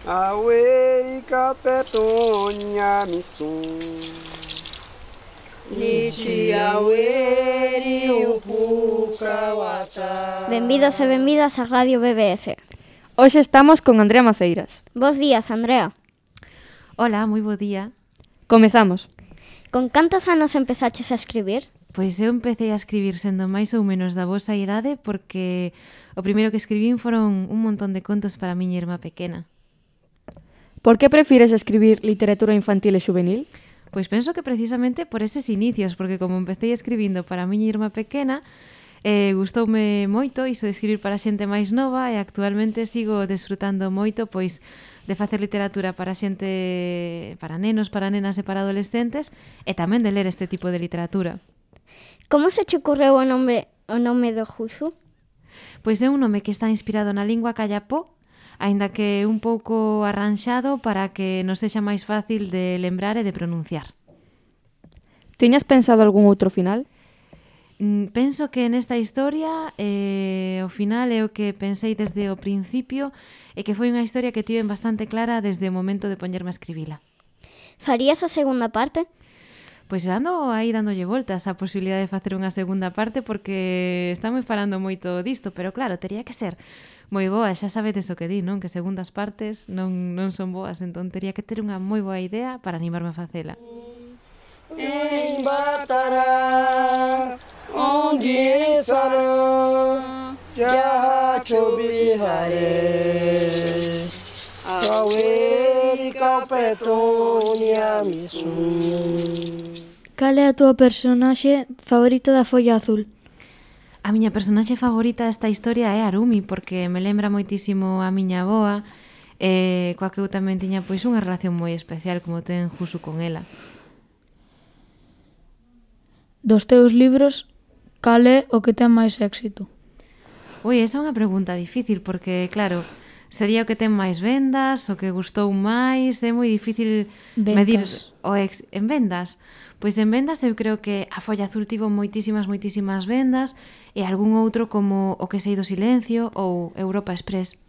Aweri Petonia Missun. Benvidos e benvidas a Radio BBS. Hoxe estamos con Andrea Maceiras. Bos días, Andrea. Hola, moi bo día. Comezamos. Con cantos anos empezaches a escribir? Pois eu empecé a escribir sendo máis ou menos da vosa idade porque o primeiro que escribín foron un montón de contos para a miña irmá pequena. Por que prefires escribir literatura infantil e juvenil? Pois penso que precisamente por eses inicios, porque como empecé escribindo para a miña irmá pequena, gustoume moito iso de escribir para xente máis nova e actualmente sigo desfrutando moito pois de facer literatura para xente, para nenos, para nenas e para adolescentes e tamén de ler este tipo de literatura. Como se che ocorreu o nome do Juxu? Pois é un nome que está inspirado na lingua callapó, aínda que un pouco arranxado para que nos sexa máis fácil de lembrar e de pronunciar. Tiñas pensado algún outro final? Penso que nesta historia o final é o que pensei desde o principio e que foi unha historia que tiven bastante clara desde o momento de poñerme a escribila. Farías a segunda parte? Pois ando aí dándolle voltas a posibilidade de facer unha segunda parte porque estamos falando moito disto, pero claro, tería que ser moi boa, xa sabedes o que di, non? Que segundas partes non son boas, entón tería que ter unha moi boa idea para animarme a facela. Em Batará, onde estará, já choveré. Aweri Petonia Missun. Cal é a túa personaxe favorita da Folla Azul? A miña personaxe favorita desta historia é Arumi, porque me lembra moitísimo a miña avoa, coa que eu tamén tiña pois unha relación moi especial como ten Jusu con ela. Dos teus libros, cal é o que ten máis éxito? Ui, esa é unha pregunta difícil, porque, claro, sería o que ten máis vendas, o que gustou máis, é moi difícil medir en vendas. Pois en vendas eu creo que A Folla Azul tivo moitísimas vendas e algún outro como O que sei do silencio ou Europa Express.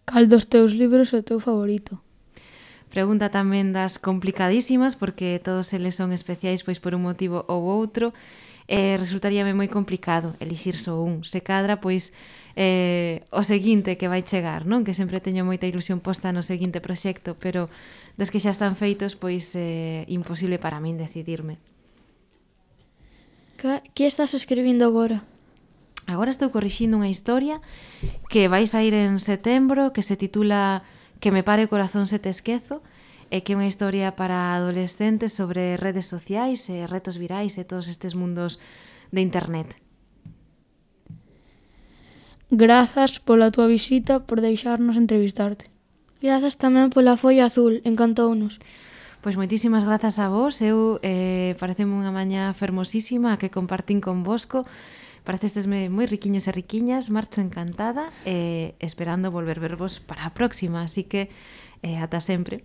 Cal dos teus libros é o teu favorito? Pregunta tamén das complicadísimas porque todos eles son especiais pois por un motivo ou outro e resultaríame moi complicado elixir só un. Se cadra, pois o seguinte que vai chegar, non? Que sempre teño moita ilusión posta no seguinte proxecto, pero dos que xa están feitos, pois imposible para min decidirme. Que estás escribindo agora? Agora estou corrixindo unha historia que vai sair en setembro, que se titula Que me pare o corazón se te esquezo, e que é unha historia para adolescentes sobre redes sociais e retos virais e todos estes mundos de internet. Grazas pola túa visita, por deixarnos entrevistarte. Grazas tamén pola Folla Azul, encantounos. Pois moitísimas grazas a vos, eu pareceme unha mañá fermosísima a que compartín convosco. Parecestesme moi riquiños e riquiñas, marcho encantada e esperando volver vervos para a próxima, así que ata sempre.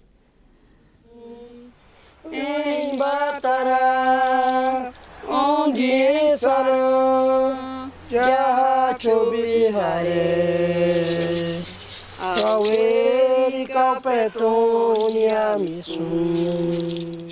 Em Batará, onde estará, já choveré. Aweri Petonia Missun.